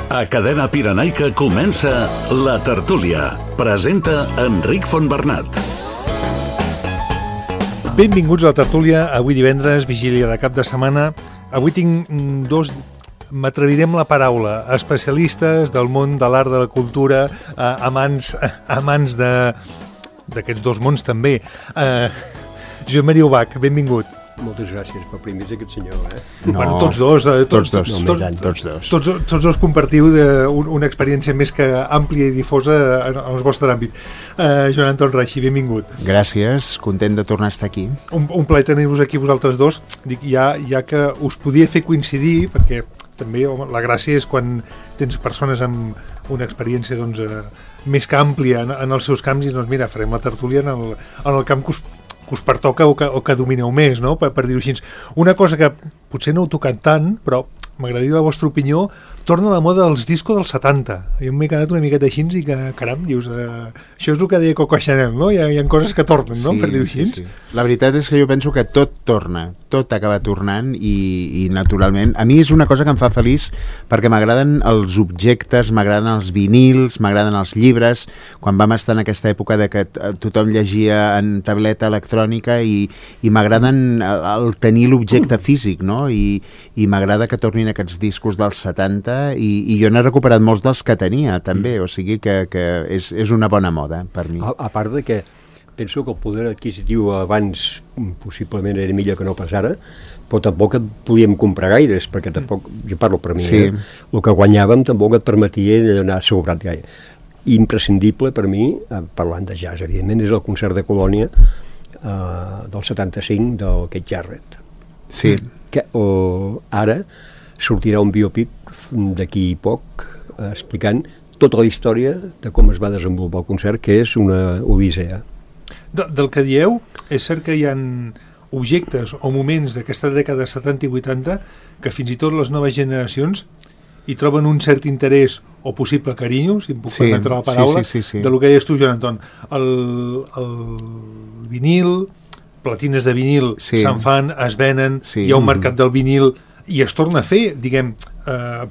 A Cadena Pirenaica comença La Tertúlia. Presenta Enric Fontbernat. Benvinguts a La Tertúlia. Avui divendres, vigília de cap de setmana. Avui tinc dos, m'atrevirem la paraula, especialistes del món de l'art, de la cultura, amants d'aquests dos mons també. Josep Maria Ubach, benvingut. Moltes gràcies per primers aquest senyor. No, bueno, tots dos compartiu una experiència més que àmplia i difosa en el vostre àmbit. Joan Anton Reixi, benvingut. Gràcies, content de tornar a estar aquí. Un plaer tenir-vos aquí vosaltres dos. Dic, ja que us podia fer coincidir, perquè també la gràcia és quan tens persones amb una experiència doncs, més que àmplia en els seus camps i doncs mira, farem la tertúlia en el camp que us pertoca o que domineu més, no? per dir-ho així. Una cosa que potser no heu tocat tant, però m'agradaria la vostra opinió, torna a la moda dels discos dels 70. Jo m'he quedat una miqueta així i que, caram, dius, això és el que deia Coco Chanel, no? Hi ha coses que tornen, no? Per dir-ho així. Sí. La veritat és que jo penso que tot torna, tot acaba tornant i naturalment, a mi és una cosa que em fa feliç perquè m'agraden els objectes, m'agraden els vinils, m'agraden els llibres. Quan vam estar en aquesta època de que tothom llegia en tableta electrònica i m'agraden el tenir l'objecte físic, no? I m'agrada que tornin aquests discos dels 70 i jo n'he recuperat molts dels que tenia també, o sigui que és una bona moda per mi. A part de que penso que el poder adquisitiu abans possiblement era millor que no pas ara, però tampoc et podíem comprar gaires, perquè tampoc, jo parlo per mi, sí. El que guanyàvem tampoc et permetia anar sobrat gaire. Imprescindible per mi, parlant de jazz, evidentment, és el concert de Colònia del 75 del Keith Jarrett. Sí. Que ara sortirà un biopic d'aquí poc explicant tota la història de com es va desenvolupar el concert, que és una odissea. Del que dieu, és cert que hi ha objectes o moments d'aquesta dècada 70 i 80 que fins i tot les noves generacions hi troben un cert interès o possible carinyo, si em puc permetre la paraula, sí. de lo que deies tu, Joan Anton. El vinil, platines de vinil se'n fan, es venen, hi ha un mercat del vinil i es torna a fer, diguem,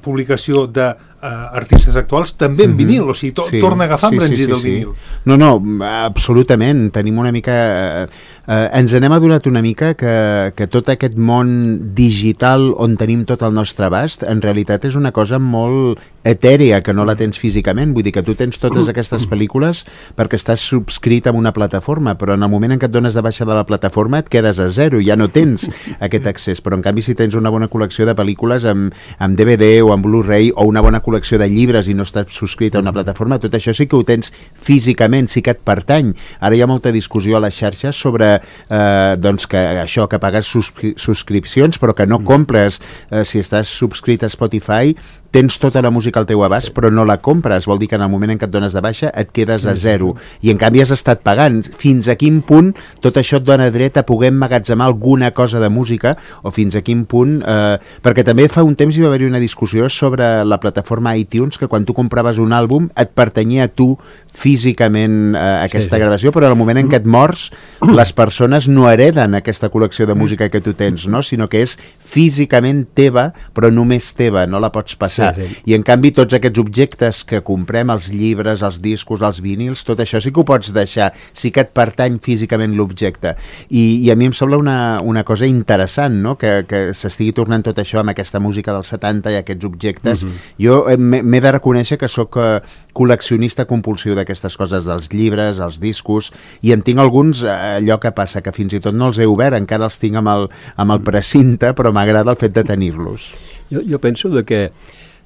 publicació d'artistes actuals també en vinil, o sigui, torna a agafar embranzir del vinil. No, absolutament, tenim una mica... ens n'hem adonat una mica que tot aquest món digital on tenim tot el nostre abast, en realitat és una cosa molt etèria, que no la tens físicament, vull dir que tu tens totes aquestes pel·lícules perquè estàs subscrit a una plataforma, però en el moment en què et dones de baixa de la plataforma et quedes a zero, ja no tens aquest accés, però en canvi si tens una bona col·lecció de pel·lícules amb DVD o amb Blu-ray o una bona col·lecció de llibres i no estàs subscrit a una plataforma, tot això sí que ho tens físicament, sí que et pertany. Ara hi ha molta discussió a les xarxes sobre doncs que això, que pagues subscripcions però que no compres, si estàs subscrit a Spotify tens tota la música al teu abast però no la compres, vol dir que en el moment en què et dones de baixa et quedes a zero i en canvi has estat pagant. Fins a quin punt tot això et dona dret a poder emmagatzemar alguna cosa de música o fins a quin punt, perquè també fa un temps hi va haver una discussió sobre la plataforma iTunes, que quan tu compraves un àlbum et pertanyia a tu físicament aquesta gravació, però en el moment en què et mors les persones no hereden aquesta col·lecció de música que tu tens, no? Sinó que és físicament teva, però només teva, no la pots passar. I en canvi tots aquests objectes que comprem, els llibres, els discos, els vinils, tot això sí que ho pots deixar, sí que et pertany físicament l'objecte. I a mi em sembla una cosa interessant, no? Que s'estigui tornant tot això amb aquesta música dels 70 i aquests objectes. Jo m'he de reconèixer que sóc col·leccionista compulsiu d'aquestes coses, dels llibres, els discos, i en tinc alguns, allò que passa, que fins i tot no els he obert, encara els tinc amb el precinte, però m'agrada el fet de tenir-los. Jo penso que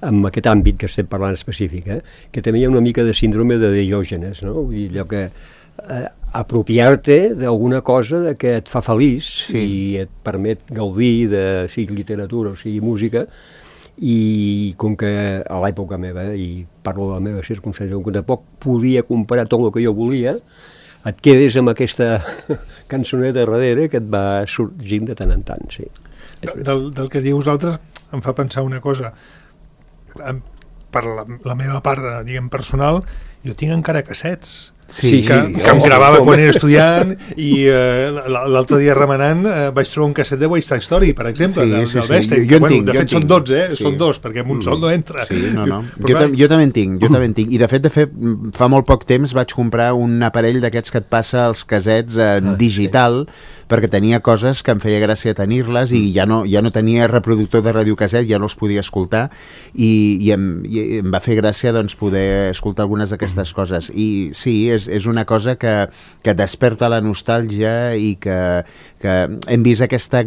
en aquest àmbit que estem parlant específic, que també hi ha una mica de síndrome de Diògenes, no? Vull dir, allò que apropiar-te d'alguna cosa que et fa feliç i et permet gaudir de sigui literatura o sigui música, i com que a l'època meva, i parlo de la meva circumstància, com que tampoc podia comprar tot el que jo volia, et quedes amb aquesta cançoneta darrere que et va sorgint de tant en tant, sí. Del que diu vosaltres em fa pensar una cosa. Per la meva part, diguem, personal, jo tinc encara cassets que em gravava quan era estudiant i l'altre dia remenant vaig trobar un casset de West Side Story, per exemple, del Bernstein. De fet són 12, són 2, perquè amb un sol no entra. Jo també en tinc, i de fet fa molt poc temps vaig comprar un aparell d'aquests que et passa els casets en digital, perquè tenia coses que em feia gràcia tenir-les i ja no tenia reproductor de radiocasset, ja no els podia escoltar i em va fer gràcia doncs, poder escoltar algunes d'aquestes coses. I sí, és una cosa que desperta la nostàlgia i que hem vist aquest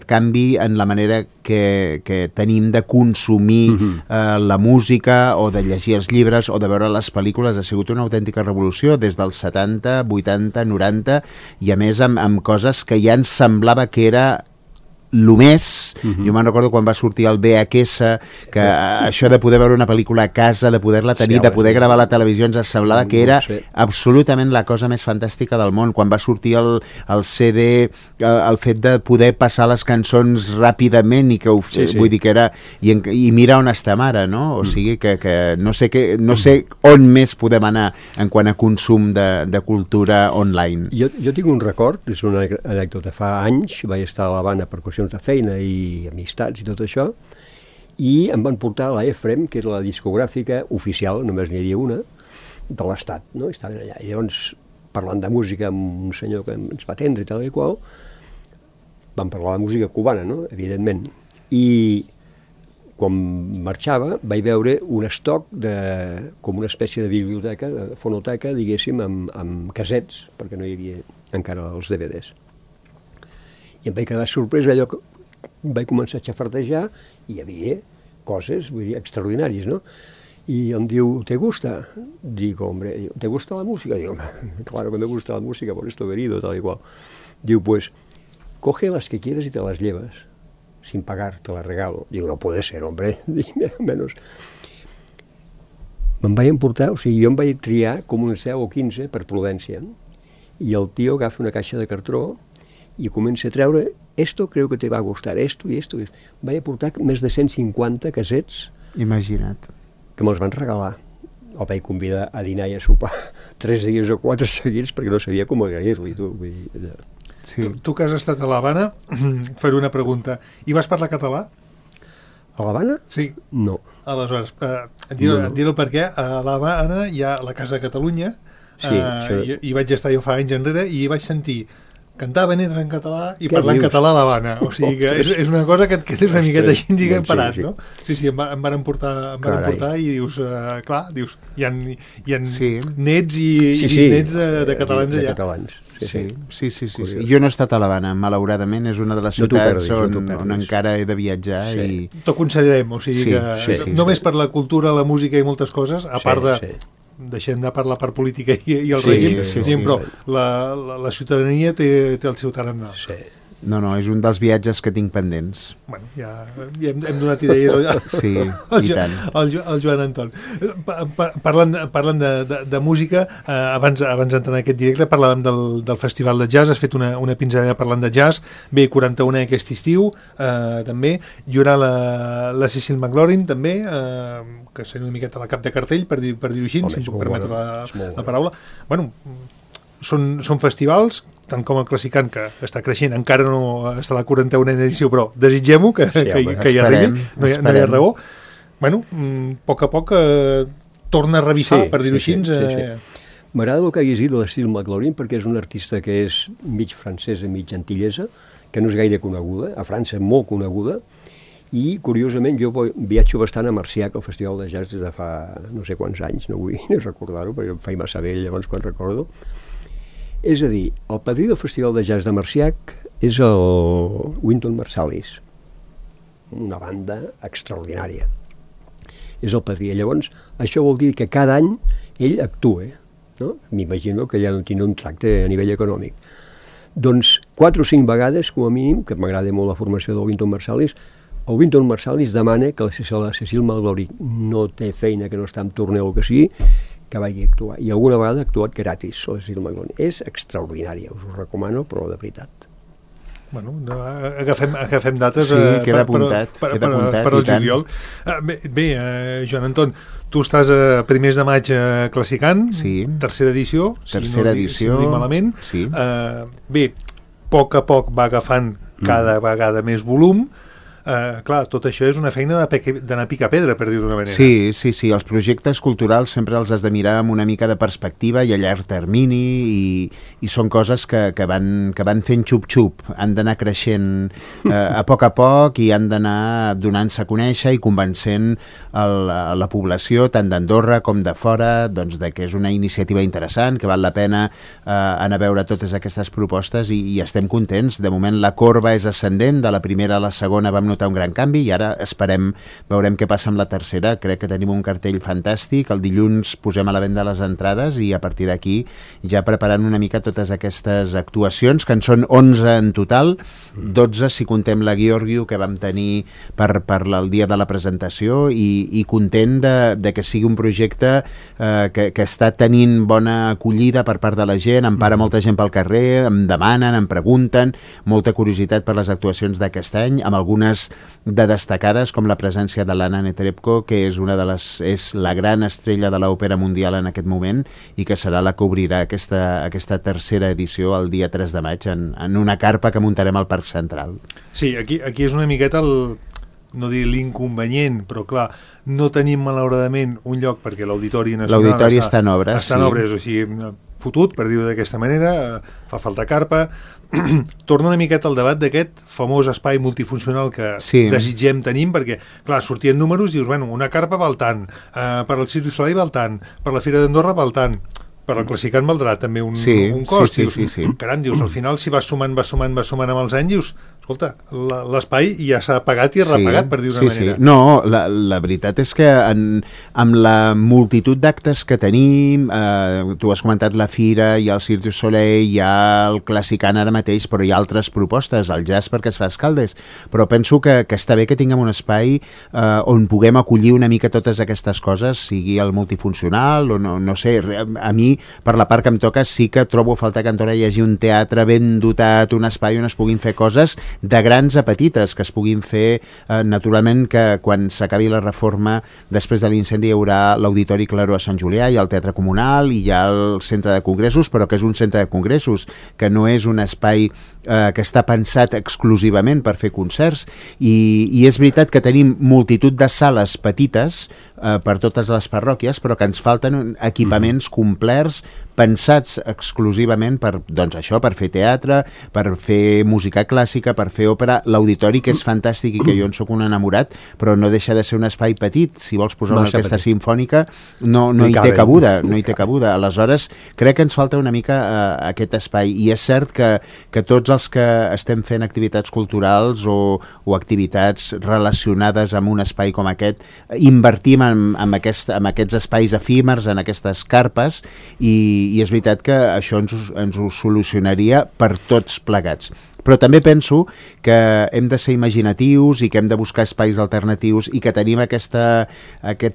canvi en la manera que tenim de consumir la música o de llegir els llibres o de veure les pel·lícules. Ha sigut una autèntica revolució des dels 70, 80, 90 i a més amb coses que ja ens semblava que era lo més. Jo me'n recordo quan va sortir el VHS, que això de poder veure una pel·lícula a casa, de poder-la tenir, de poder gravar a la televisió, ens semblava que era absolutament la cosa més fantàstica del món. Quan va sortir el CD, el fet de poder passar les cançons ràpidament i que vull dir que era i mira on estem ara, no? O sigui que no sé on més podem anar en quant a consum de cultura online. Jo tinc un record, és una anècdota, fa anys vaig estar a l'Havana per qüestions de feina i amistats i tot això, i em van portar a la EFREM, que era la discogràfica oficial, només n'hi havia una, de l'Estat, no? Estaven allà. I llavors, parlant de música amb un senyor que ens va atendre i tal i qual, vam parlar de música cubana, no? Evidentment. I quan marxava vaig veure un estoc com una espècie de biblioteca, de fonoteca, diguéssim, amb casets, perquè no hi havia encara els DVDs. I em vaig quedar sorprès, allò que vaig començar a xafardejar i hi havia coses, vull dir, extraordinàries, no? I em diu, ¿te gusta? Digo, hombre, ¿te gusta la música? Digo, claro que me gusta la música, por esto he venido, tal y cual. Diu, pues, coge las que quieres y te las llevas, sin pagar, te las regalo. Digo, no puede ser, hombre, menos. Me'n vaig emportar, o sigui, jo em vaig triar com uns 10 o 15 per prudència, i el tio agafa una caixa de cartró i comença a treure, esto creo que te va a gustar, esto y esto. Vaig aportar més de 150 casets. Imagina't. Que me'ls van regalar. El vaig convidar a dinar i a sopar 3 dies o 4 seguits perquè no sabia com agrair-li. Sí. Tu que has estat a l'Havana, faré una pregunta. I vas parlar català? A l'Havana? Sí. No. Aleshores, dir-ho perquè a l'Havana hi ha la Casa de Catalunya, i vaig estar jo fa anys enrere i vaig sentir cantaven en català i parlant català a l'Havana. O sigui que és una cosa que et quedes una miqueta així en parat, no? Sí, em van portar i dius, clar, hi ha nets i bisnets de catalans allà. Sí. Jo no he estat a l'Havana, malauradament, és una de les ciutats on encara he de viatjar. T'ho aconsellarem, o sigui que només per la cultura, la música i moltes coses, a part de... deixem de parlar per política i el règim, però la ciutadania té el seu tarannà. No, és un dels viatges que tinc pendents. Bueno, ja hem donat idees sí, i tant. El Joan Anton. Parlant de música, abans d'entrar en aquest directe parlàvem del Festival de Jazz, has fet una pinzellada parlant de jazz, ve 41 aquest estiu, també, hi haurà la Cecil McLaurin, també, que seria una miqueta la cap de cartell, per dir-ho així, si em puc permetre la paraula. Bueno, són festivals, tant com el Classicant, que està creixent, encara no està a la 41a edició, però desitgem-ho que hi arribi, no hi ha raó. Bueno, a poc torna a revifar, per dir-ho així. M'agrada el que hagués dit de la Cecil McLaurin, perquè és una artista que és mig francesa, mig antillesa, que no és gaire coneguda, a França és molt coneguda, i curiosament jo viatjo bastant a Marciac, al Festival de Jazz, des de fa no sé quants anys, no vull ni recordar-ho, perquè em faig massa vell llavors quan recordo. És a dir, el padrí del Festival de Jazz de Marciac és el Wynton Marsalis, una banda extraordinària. És el padrí. Llavors, això vol dir que cada any ell actua, no? M'imagino que ja no tindrà un tracte a nivell econòmic. Doncs 4 o 5 vegades, com a mínim, que m'agrada molt la formació del Wynton Marsalis, el Wynton Marsalis demana que la Cecil McLaurin no té feina, que no està en torneu o que sigui, que vagi a actuar. I alguna vegada ha actuat gratis, la Cecil McLaurin. És extraordinària, us ho recomano, però de veritat. Bueno, agafem dates queda apuntat, per al juliol. Bé, Joan Anton, tu estàs a primers de maig classicant, tercera edició, si no dic malament. Bé, a poc va agafant cada vegada més volum. Clar, tot això és una feina d'anar a picar pedra, per dir-ho d'una manera. Sí, els projectes culturals sempre els has de mirar amb una mica de perspectiva i a llarg termini, i són coses que van fent xup-xup, han d'anar creixent a poc i han d'anar donant-se a conèixer i convencent la població, tant d'Andorra com de fora, doncs, de que és una iniciativa interessant, que val la pena anar a veure totes aquestes propostes, i estem contents. De moment la corba és ascendent, de la primera a la segona vam notar un gran canvi, i ara veurem què passa amb la tercera. Crec que tenim un cartell fantàstic. El dilluns posem a la venda les entrades, i a partir d'aquí ja preparant una mica totes aquestes actuacions, que en són 11 en total, 12 si contem la Giorgio que vam tenir per el dia de la presentació, i content de que sigui un projecte que està tenint bona acollida per part de la gent. Em para molta gent pel carrer, em demanen, em pregunten, molta curiositat per les actuacions d'aquest any, amb algunes de destacades, com la presència de l'Anna Netrebko, que és la gran estrella de l'òpera mundial en aquest moment, i que serà la que obrirà aquesta tercera edició el dia 3 de maig en una carpa que muntarem al Parc Central. Sí, aquí és una miqueta no dir l'inconvenient, però clar, no tenim malauradament un lloc, perquè l'Auditori Nacional està en obres, o sigui, fotut, per dir-ho d'aquesta manera, fa falta carpa. Torna una miqueta al debat d'aquest famós espai multifuncional que desitgem tenim, perquè, clar, sortien números i dius, bueno, una carpa val tant, per al Cirque du Soleil val tant, per la Fira d'Andorra val tant, per al Classicant valdrà també un cost. Caram, dius, al final, si vas sumant amb els anys, dius, escolta, l'espai ja s'ha pagat i repagat, per dir-ho d'una manera. No, la veritat és que amb la multitud d'actes que tenim, tu has comentat la Fira, hi ha el Cirque du Soleil, hi ha el Classicant ara mateix, però hi ha altres propostes, el jazz perquè es fa a Escaldes, però penso que està bé que tinguem un espai on puguem acollir una mica totes aquestes coses, sigui el multifuncional o no sé, a mi, per la part que em toca, sí que trobo a faltar que a Andorra hi hagi un teatre ben dotat, un espai on es puguin fer coses de grans a petites, que es puguin fer naturalment, que quan s'acabi la reforma, després de l'incendi hi haurà l'Auditori Claró a Sant Julià, hi ha el Teatre Comunal, i hi ha el Centre de Congressos, però que és un centre de congressos, que no és un espai que està pensat exclusivament per fer concerts, i és veritat que tenim multitud de sales petites per totes les parròquies, però que ens falten equipaments complets pensats exclusivament per fer teatre, per fer música clàssica, per fer òpera. L'auditori, que és fantàstic i que jo en soc un enamorat, però no deixa de ser un espai petit. Si vols posar una orquestra simfònica, no hi té cabuda. Aleshores, crec que ens falta una mica aquest espai, i és cert que tots els que estem fent activitats culturals o activitats relacionades amb un espai com aquest, invertim en aquests espais efímers, en aquestes carpes, i és veritat que això ens ho solucionaria per tots plegats. Però també penso que hem de ser imaginatius i que hem de buscar espais alternatius, i que tenim aquest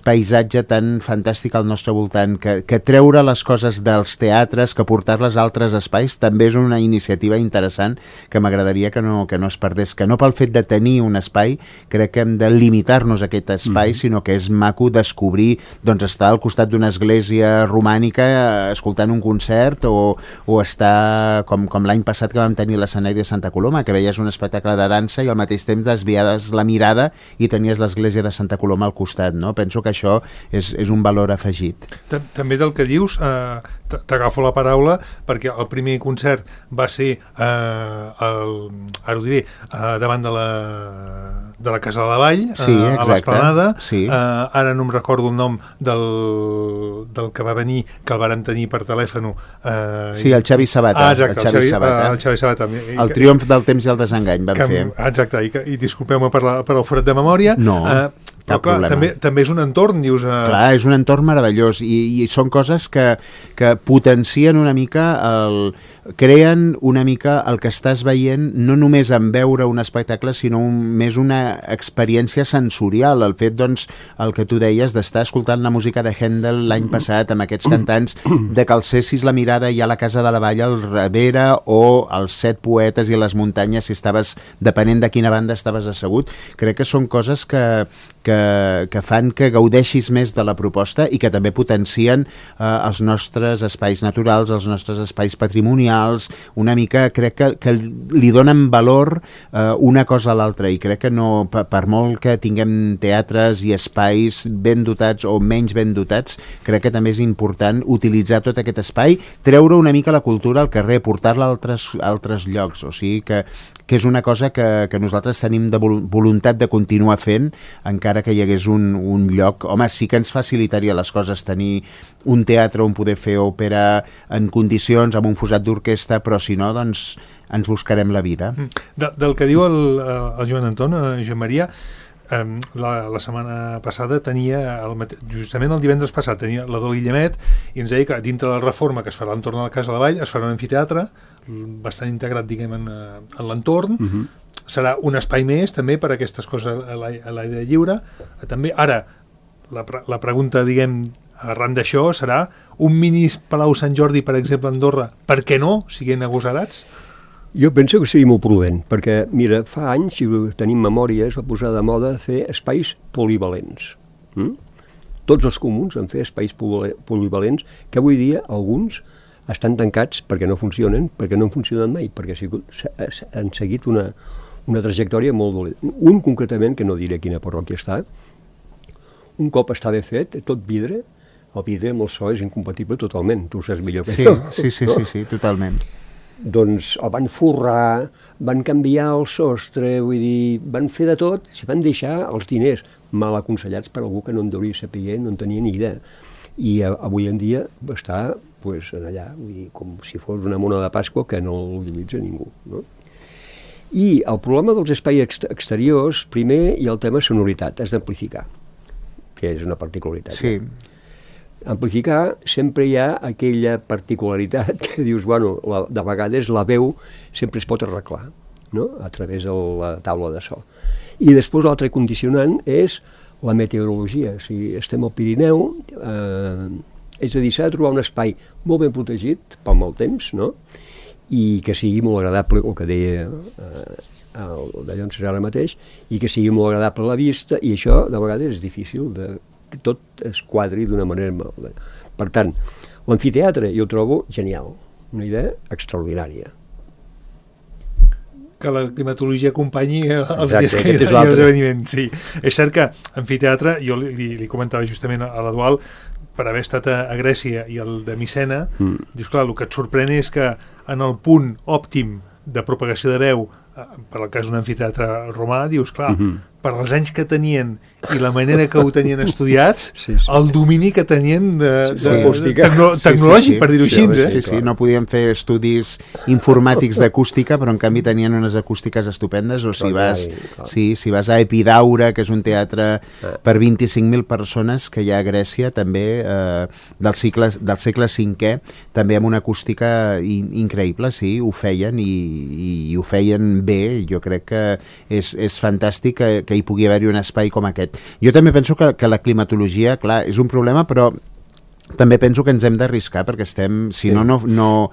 paisatge tan fantàstic al nostre voltant, que treure les coses dels teatres, que portar-les a altres espais, també és una iniciativa interessant que m'agradaria que no es perdés, que no pel fet de tenir un espai crec que hem de limitar-nos a aquest espai, sinó que és maco descobrir, estar al costat d'una església romànica escoltant un concert, o estar com l'any passat que vam tenir l'escenari de Santa Coloma, que veies un espectacle de dansa i al mateix temps desviades la mirada i tenies l'església de Santa Coloma al costat, no? Penso que això és un valor afegit. També del que dius, t'agafo la paraula, perquè el primer concert va ser davant de la Casa de la Vall, a l'Esplanada. Ara no em recordo el nom del que va venir, que el vàrem tenir per telèfon. El Xavi Sabata. El Xavi Sabata. El triomf del temps i el desengany vam fer. Exacte, i disculpeu-me per el forat de memòria. No. cap problema. També és un entorn, dius... Clar, és un entorn meravellós i són coses que potencien una mica creen una mica el que estàs veient, no només en veure un espectacle, sinó més una experiència sensorial. El fet, doncs, el que tu deies, d'estar escoltant la música de Händel l'any passat amb aquests cantants, de que alcessis la mirada i a la Casa de la Vall al darrere, o els 7 poetes i les muntanyes, si estaves, depenent de quina banda estaves assegut. Crec que són coses que fan que gaudeixis més de la proposta i que també potencien els nostres espais naturals, els nostres espais patrimonials. Una mica crec que li donen valor una cosa a l'altra, i crec que no, per molt que tinguem teatres i espais ben dotats o menys ben dotats, crec que també és important utilitzar tot aquest espai, treure una mica la cultura al carrer, portar-la a altres llocs, o sigui que és una cosa que nosaltres tenim de voluntat de continuar fent, encara que hi hagués un lloc. Home, sí que ens facilitaria les coses tenir un teatre on poder fer òpera en condicions, amb un fosat d'orquestra, però si no, doncs ens buscarem la vida. Del que diu el Joan Anton, Josep Maria, la setmana passada tenia, justament el divendres passat, tenia la de l'Illemet, i ens deia que dintre la reforma que es farà entorn a la Casa de la Vall es farà un amfiteatre bastant integrat, diguem, en l'entorn. Serà un espai més també per a aquestes coses a l'aire lliure. També, ara, la pregunta, diguem, arran d'això serà un mini Palau Sant Jordi, per exemple, a Andorra, per què no, siguent agosarats? Jo penso que seria molt prudent, perquè, mira, fa anys, si tenim memòria, es va posar de moda fer espais polivalents. Tots els comuns han fet espais polivalents, que avui dia alguns estan tancats perquè no funcionen, perquè no han funcionat mai, perquè han seguit una trajectòria molt dolenta. Un, concretament, que no diré quina parròquia està, un cop està ben fet, tot vidre, el vidre amb el so és incompatible totalment, tu ho saps millor que jo. Sí, totalment. Doncs el van forrar, van canviar el sostre, vull dir, van fer de tot, s'hi van deixar els diners mal aconsellats per algú que no en deuria saber, no en tenia ni idea. I avui en dia està allà, vull dir, com si fos una mona de Pasqua que no l'utilitza ningú, no? I el problema dels espais exteriors, primer, hi ha el tema sonoritat, has d'amplificar, que és una particularitat. Sí. Amplificar, sempre hi ha aquella particularitat que dius, bueno, de vegades la veu sempre es pot arreglar, no?, a través de la taula de so. I després l'altre condicionant és la meteorologia. Si estem al Pirineu, és a dir, s'ha de trobar un espai molt ben protegit pel mal temps, no?, i que sigui molt agradable, el que deia d'allò en serà ara mateix, i que sigui molt agradable a la vista, i això de vegades és difícil que tot es quadri d'una manera molt. Per tant, l'amfiteatre jo ho trobo genial, una idea extraordinària. Que la climatologia acompanyi els dies que hi ha els esdeveniments. Sí. És cert que amfiteatre, jo li comentava justament a l'Eduald, per haver estat a Grècia i el de Micena, dius, clar, el que et sorprèn és que en el punt òptim de propagació de veu, per al cas d'un amfiteatre romà, dius, clar, per als anys que tenien i la manera que ho tenien estudiats, el domini que tenien tecnològic, per dir-ho així. Sí, no podien fer estudis informàtics d'acústica, però en canvi tenien unes acústiques estupendes, o si vas a Epidaure, que és un teatre per 25.000 persones que hi ha a Grècia, també del segle V, també amb una acústica increïble, sí, ho feien i ho feien bé. Jo crec que és fantàstic que hi pugui haver-hi un espai com aquest. Jo també penso que la climatologia, clar, és un problema, però també penso que ens hem d'arriscar, perquè si no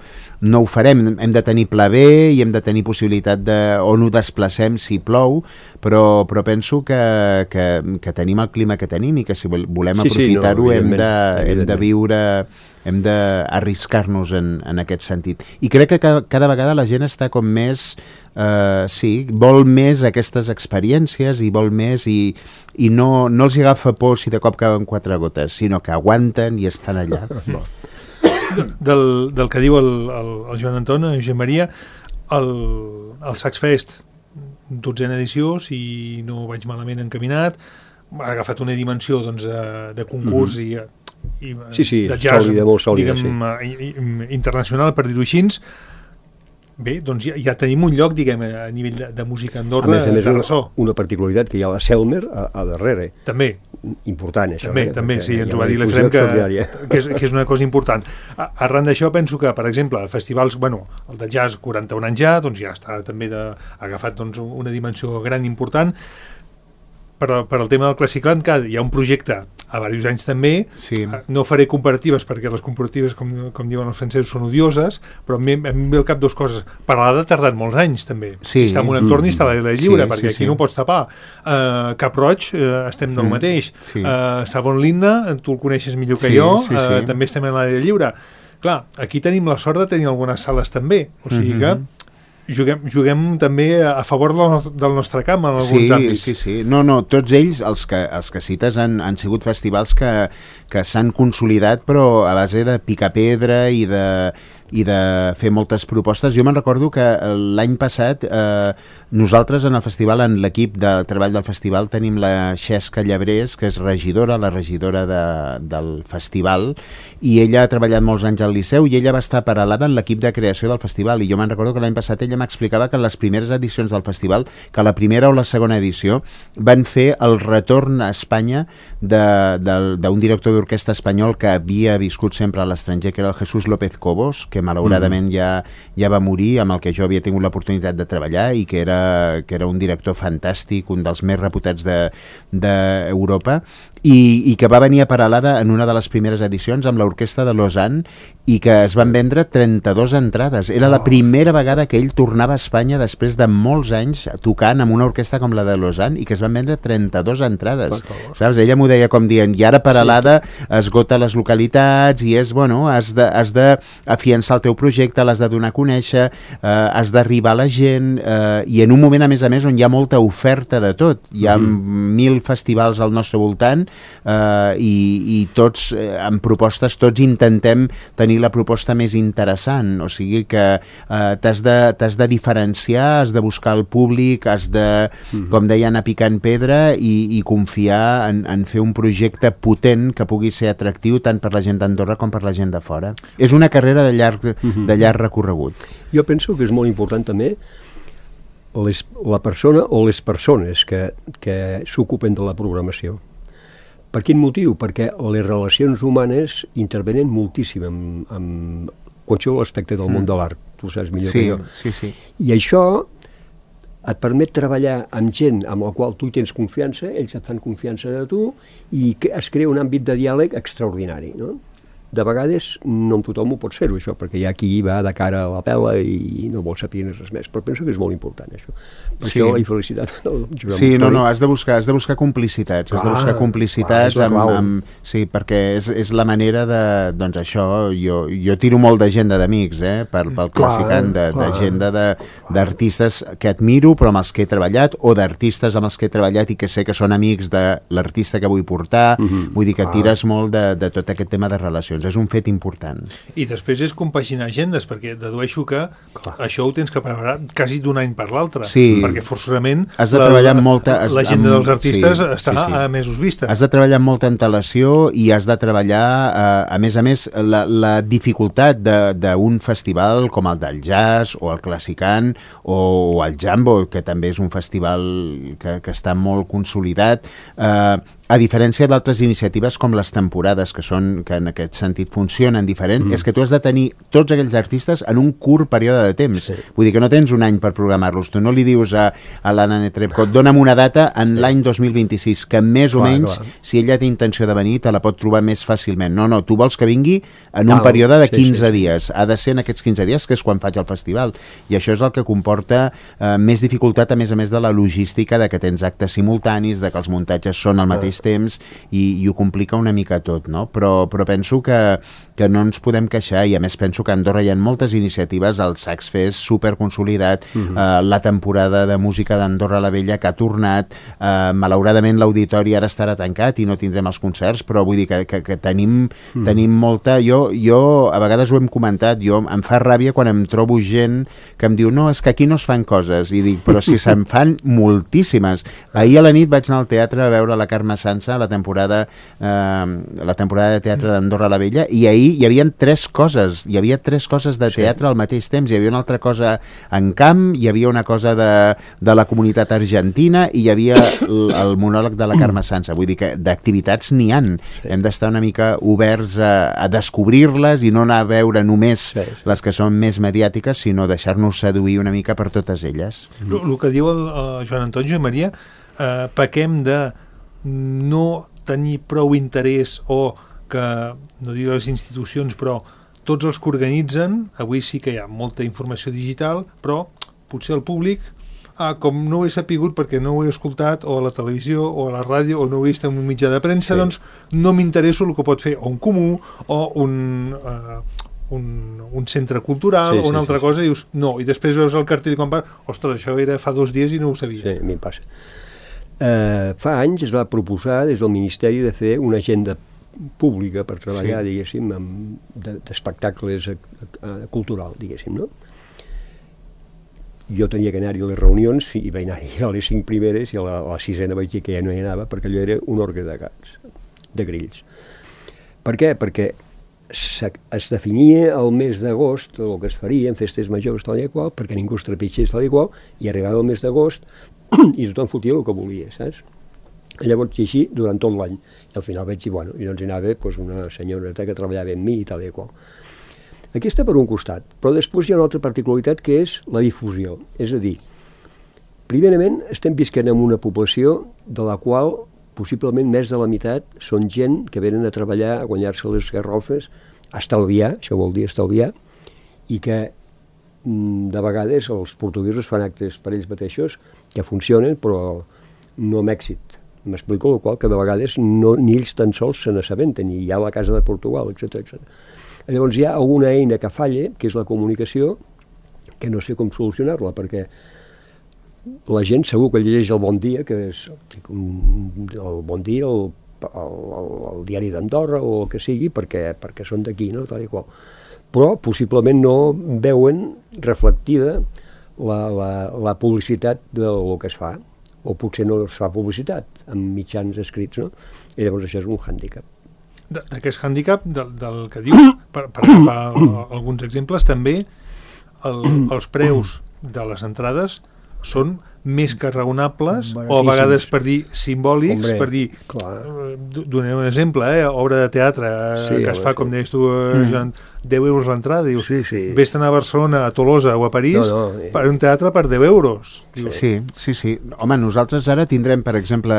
ho farem. Hem de tenir pla B i hem de tenir possibilitat on ho desplacem si plou, però penso que tenim el clima que tenim i que si volem aprofitar-ho hem de viure, hem d'arriscar-nos en aquest sentit. I crec que cada vegada la gent està com més... vol més aquestes experiències i vol més i no els agafa por si de cop cauen 4 gotes, sinó que aguanten i estan allà. Del que diu el Joan Anton, Josep Maria, el Sax Fest, 12a edició, si no vaig malament encaminat, ha agafat una dimensió de concurs i de jazz, sòlida, molt sòlida, diguem, internacional, per dir-ho així. Bé, doncs ja tenim un lloc, diguem, a nivell de música a Andorra, a més, de ressò. una particularitat, que hi ha la Selmer a darrere. També. Important, això. També, sí, ens ho va dir l'Efrem, que és una cosa important. Arran d'això, penso que, per exemple, festivals, el de jazz, 41 anys ja, doncs ja està també agafat doncs, una dimensió gran important. Per al tema del Classicland, que hi ha un projecte a diversos anys també, sí. No faré comparatives perquè les comparatives, com diuen els francesos, són odioses, però a mi em ve al cap dues coses. Paralada ha tardat molts anys també, sí. Està en un entorn i està a l'aire lliure, perquè aquí no ho pots tapar. Cap Roig, estem del mateix. Sí. Savon Linna, tu el coneixes millor que jo, també estem a l'aire lliure. Clar, aquí tenim la sort de tenir algunes sales també, o sigui que juguem també a favor del nostre camp en alguns àmbits. Sí. No, tots ells, els que cites, han sigut festivals que s'han consolidat, però a base de picar pedra i de fer moltes propostes. Jo me'n recordo que l'any passat nosaltres en el festival, en l'equip de treball del festival, tenim la Xesca Llebrés, que és la regidora del festival, i ella ha treballat molts anys al Liceu i ella va estar paral·lada en l'equip de creació del festival, i jo me'n recordo que l'any passat ella m'explicava que en les primeres edicions del festival, que la primera o la segona edició van fer el retorn a Espanya d'un director d'orquestra espanyol que havia viscut sempre a l'estranger, que era el Jesús López Cobos, que malauradament ja va morir, amb el que jo havia tingut l'oportunitat de treballar, i que era un director fantàstic, un dels més reputats d'Europa, i que va venir a Peralada en una de les primeres edicions amb l'orquestra de Lausanne, i que es van vendre 32 entrades. Era la primera vegada que ell tornava a Espanya després de molts anys tocant amb una orquestra com la de Lausanne, i que es van vendre 32 entrades. Saps? Ella m'ho deia com dient, i ara Peralada esgota les localitats, i has d'afiançar el teu projecte, l'has de donar a conèixer, has d'arribar a la gent, i en un moment, a més, on hi ha molta oferta de tot. Hi ha 1.000 festivals al nostre voltant, i tots amb propostes, tots intentem tenir la proposta més interessant, o sigui que t'has de diferenciar, has de buscar el públic, has de, com deia, anar picant pedra i confiar en fer un projecte potent que pugui ser atractiu tant per la gent d'Andorra com per la gent de fora. És una carrera de llarg recorregut. Jo penso que és molt important també la persona o les persones que s'ocupen de la programació. Per quin motiu? Perquè les relacions humanes intervenen moltíssim en qualsevol aspecte del món de l'art. Tu saps millor que jo. Sí. I això et permet treballar amb gent amb la qual tu tens confiança, ells et fan confiança de tu, i es crea un àmbit de diàleg extraordinari, no? De vegades no amb tothom ho pots fer-ho, això, perquè hi ha qui va de cara a la pela i no vol saber res més, però penso que és molt important, això. Per això la felicitat del Josep Sí, no, has de buscar complicitats, sí, perquè és la manera de, doncs això, jo tiro molt d'agenda d'amics, pel Classicland, d'agenda d'artistes que admiro, però amb els que he treballat, o d'artistes amb els que he treballat i que sé que són amics de l'artista que vull portar, vull dir que tires molt de tot aquest tema de relacions. És un fet important. I després és compaginar agendes, perquè dedueixo que això ho tens que preparar quasi d'un any per l'altre, perquè forçosament has de treballar amb l'agenda dels artistes està a mesos vista. Has de treballar amb molta antelació i has de treballar, a més, la dificultat d'un festival com el del jazz o el Classicland o el Jambo, que també és un festival que està molt consolidat, a diferència d'altres iniciatives com les temporades, que en aquest sentit funcionen diferent, és que tu has de tenir tots aquells artistes en un curt període de temps. Vull dir que no tens un any per programar-los. Tu no li dius a l'Anna Netrebko, dona'm una data en l'any 2026, que més o menys, si ella té intenció de venir, te la pot trobar més fàcilment. No, tu vols que vingui en un període de 15 dies. Ha de ser en aquests 15 dies, que és quan faig el festival. I això és el que comporta més dificultat, a més de la logística, de que tens actes simultanis, de que els muntatges són al mateix temps, i ho complica una mica tot, no? Però penso que no ens podem queixar, i a més penso que a Andorra hi ha moltes iniciatives, el Sax Fest superconsolidat, la temporada de música d'Andorra la Vella que ha tornat, malauradament l'auditori ara estarà tancat i no tindrem els concerts, però vull dir que tenim molta... Jo a vegades ho hem comentat, em fa ràbia quan em trobo gent que em diu, no, és que aquí no es fan coses, i dic, però si se'n fan moltíssimes. Ahir a la nit vaig anar al teatre a veure la Carme Sansa, la temporada de teatre d'Andorra la Vella, i ahir ahir hi havia 3 coses, de teatre al mateix temps, hi havia una altra cosa en camp, hi havia una cosa de la comunitat argentina i hi havia el monòleg de la Carme Sansa, vull dir que d'activitats n'hi han, hem d'estar una mica oberts a descobrir-les i no anar a veure només les que són més mediàtiques, sinó deixar-nos seduir una mica per totes elles. El que diu el Joan Antoni i Maria, pequem de no tenir prou interès o que, no diré les institucions, però tots els que organitzen, avui sí que hi ha molta informació digital, però potser el públic, com no ho he sapigut perquè no ho he escoltat o a la televisió o a la ràdio o no ho he vist en un mitjà de premsa, doncs no m'interesso el que pot fer o un comú o un centre cultural o una altra cosa, i dius, no, i després veus el cartell i quan vas, ostres, això era fa 2 dies i no ho sabia. Sí, a mi em passa. Fa anys es va proposar des del Ministeri de fer una agenda pública per treballar, diguéssim, d'espectacles cultural, diguéssim, no? Jo tenia que anar-hi a les reunions i vaig anar-hi a les 5 primeres i a la 6ª vaig dir que ja no hi anava perquè allò era un orgue de gats, de grills. Per què? Perquè es definia el mes d'agost el que es faria en festes majors tal i qual, perquè ningú es trepitgés tal i qual, i arribava el mes d'agost i tothom fotia el que volia, saps? Llavors, i així, durant tot l'any. I al final vaig dir, bueno, i doncs hi anava una senyoreta que treballava amb mi i tal i qual. Aquesta per un costat, però després hi ha una altra particularitat que és la difusió. És a dir, primerament estem visquent en una població de la qual possiblement més de la meitat són gent que venen a treballar, a guanyar-se les garrofes, a estalviar, això vol dir estalviar, i que de vegades els portuguesos fan actes per ells mateixos que funcionen però no amb èxit. M'explico, el qual que de vegades ni ells tan sols se n'assabenten, i hi ha la Casa de Portugal, etc. Llavors hi ha alguna eina que falla, que és la comunicació, que no sé com solucionar-la, perquè la gent segur que llegeix el Bon Dia, que és el Bon Dia, el diari d'Andorra o el que sigui, perquè són d'aquí, no? Tal i qual. Però possiblement no veuen reflectida la publicitat del que es fa, o potser no es fa publicitat amb mitjans escrits, no? I llavors això és un hàndicap. D'aquest hàndicap, del que dius, per agafar alguns exemples, també els preus de les entrades són més que raonables, o a vegades per dir simbòlics, per dir, donem un exemple, obra de teatre que es fa, com deies tu, Joan, 10 euros l'entrada, dius, vés-te'n a Barcelona, a Tolosa o a París, per un teatre per 10 euros. Sí. Home, nosaltres ara tindrem, per exemple,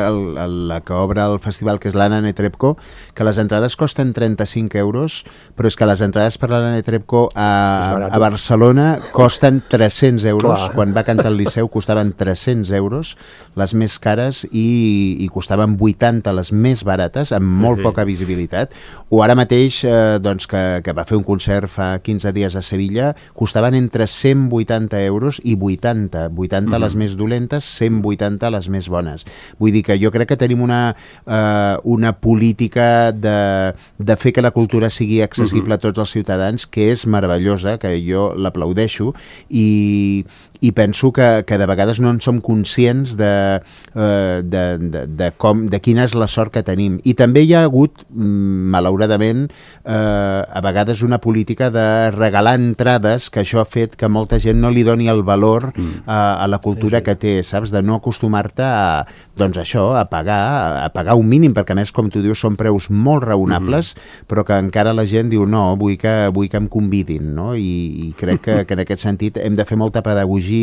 la que obre el festival, que és l'Anna Netrebko, que les entrades costen 35 euros, però és que les entrades per l'Anna Netrebko a Barcelona costen 300 euros. Quan va cantar al Liceu costaven 300 euros, les més cares, i costaven 80 les més barates, amb molt poca visibilitat. O ara mateix, doncs, que va fer un concert fa 15 dies a Sevilla, costaven entre 180 euros i 80 les més dolentes, 180 les més bones. Vull dir que jo crec que tenim una política de fer que la cultura sigui accessible a tots els ciutadans, que és meravellosa, que jo l'aplaudeixo, i penso que de vegades no en som conscients de quina és la sort que tenim. I també hi ha hagut, malauradament, a vegades una política de regalar entrades, que això ha fet que molta gent no li doni el valor a la cultura que té, saps? De no acostumar-te a pagar un mínim, perquè a més, com tu dius, són preus molt raonables, però que encara la gent diu, no, vull que em convidin, no? I crec que en aquest sentit hem de fer molta pedagogia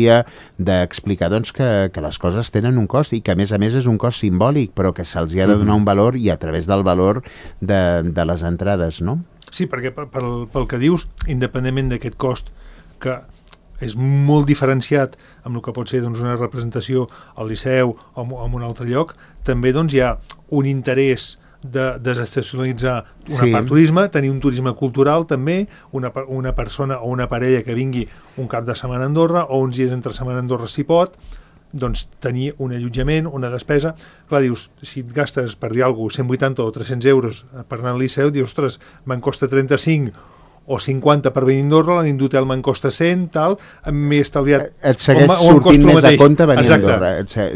d'explicar, doncs, que les coses tenen un cost, i que a més és un cost simbòlic, però que se'ls ha de donar un valor, i a través del valor de les entrades, no? Sí, perquè pel que dius, independentment d'aquest cost, que és molt diferenciat amb el que pot ser, doncs, una representació al Liceu o en un altre lloc, també, doncs, hi ha un interès de desestacionalitzar una part turisme, tenir un turisme cultural també, una persona o una parella que vingui un cap de setmana a Andorra o uns dies entre setmana a Andorra si pot, doncs tenir un allotjament, una despesa. Clar, dius, si et gastes, per dir alguna cosa, 180 o 300 euros per anar al Liceu, dius, ostres, me'n costa 35, o 50 per venir a Andorra, la nit d'hotel me'n costa 100, tal, m'he estalviat... Et segueix sortint més a compte venir a Andorra.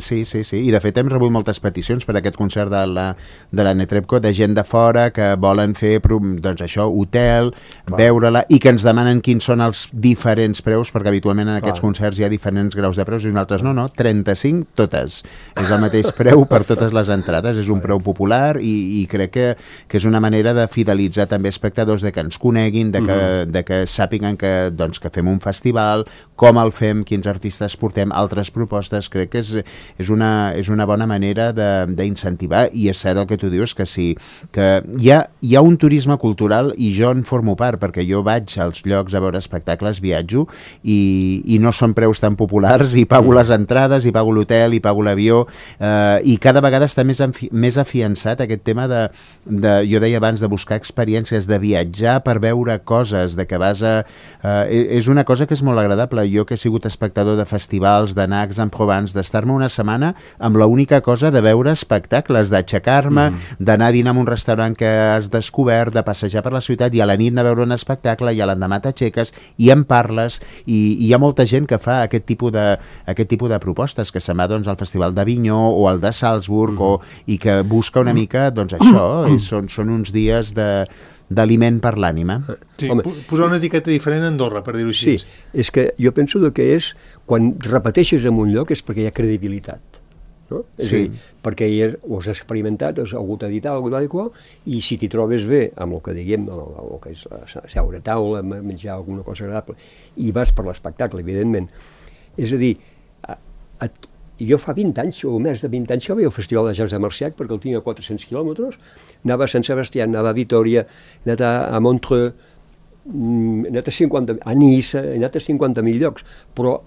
Sí. I de fet hem rebut moltes peticions per aquest concert de la Netrebko, de gent de fora que volen fer, doncs això, hotel, veure-la, i que ens demanen quins són els diferents preus, perquè habitualment en aquests concerts hi ha diferents graus de preus, i nosaltres no, 35 totes. És el mateix preu per totes les entrades, és un preu popular i crec que és una manera de fidelitzar també espectadors, de que ens coneguin, de que sàpiguen que fem un festival, com el fem, quins artistes portem, altres propostes. Crec que és una bona manera d'incentivar, i és cert el que tu dius, que sí, que hi ha un turisme cultural, i jo en formo part, perquè jo vaig als llocs a veure espectacles, viatjo, i no són preus tan populars, i pago les entrades, i pago l'hotel, i pago l'avió, i cada vegada està més afiançat aquest tema jo deia abans, de buscar experiències, de viatjar per veure coses, de que vas a... és una cosa que és molt agradable. Jo que he sigut espectador de festivals, d'anar a Aix-en-Provence, d'estar-me una setmana amb l'única cosa de veure espectacles, d'aixecar-me, d'anar a dinar en un restaurant que has descobert, de passejar per la ciutat, i a la nit anar a veure un espectacle, i a l'endemà t'aixeques i en parles, i hi ha molta gent que fa aquest tipus de propostes, que se'n va al Festival d'Avinyó o al de Salzburg, i que busca una mica, això, són uns dies d'aliment per l'ànima. Sí, posar una etiqueta diferent a Andorra, per dir-ho així. Sí, és que jo penso que quan repeteixes en un lloc és perquè hi ha credibilitat. No? És a dir, perquè ho has experimentat, has hagut de editar alguna cosa, i si t'hi trobes bé amb el que diguem, el que és seure a taula, menjar alguna cosa agradable, i vas per l'espectacle, evidentment. És a dir, jo fa 20 anys, o més de 20 anys, jo veia el Festival de Jazz de Marciac, perquè el tinc a 400 quilòmetres, anava a Sant Sebastià, anava a Vitoria, he anat a Montreux, he anat a Niça, he anat a 50.000 llocs, però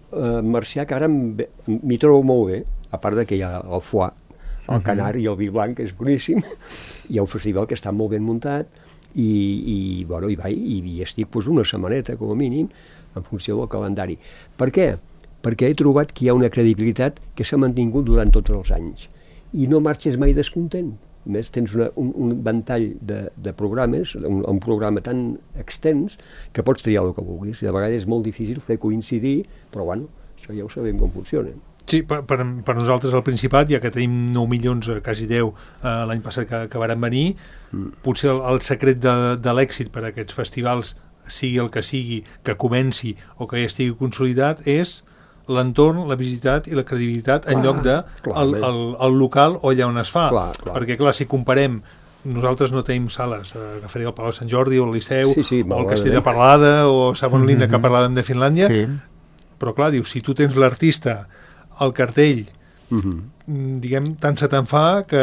Marciac ara m'hi trobo molt bé, a part que hi ha el foie, el canar i el vi blanc, que és boníssim. Hi ha un festival que està molt ben muntat, i hi estic una setmaneta, com a mínim, en funció del calendari. Per què? Perquè he trobat que hi ha una credibilitat que s'ha mantingut durant tots els anys, i no marxes mai descontent. A més, tens un ventall de programes, un programa tan extens, que pots triar el que vulguis, i de vegades és molt difícil fer coincidir, però això ja ho sabem com funciona. Sí, per nosaltres al Principat, ja que tenim 9 milions, quasi 10, l'any passat que varen venir, potser el secret de l'èxit per a aquests festivals, sigui el que sigui, que comenci o que ja estigui consolidat, és l'entorn, la visitat i la credibilitat en lloc de el local o allà on es fa. Perquè, clar, si comparem, nosaltres no tenim sales, agafaré el Palau de Sant Jordi o el Liceu, o el Castell de Parlada o Savonlinna, que parlàvem de Finlàndia, però clar, dius, si tu tens l'artista, el cartell, diguem, tant se te'n fa que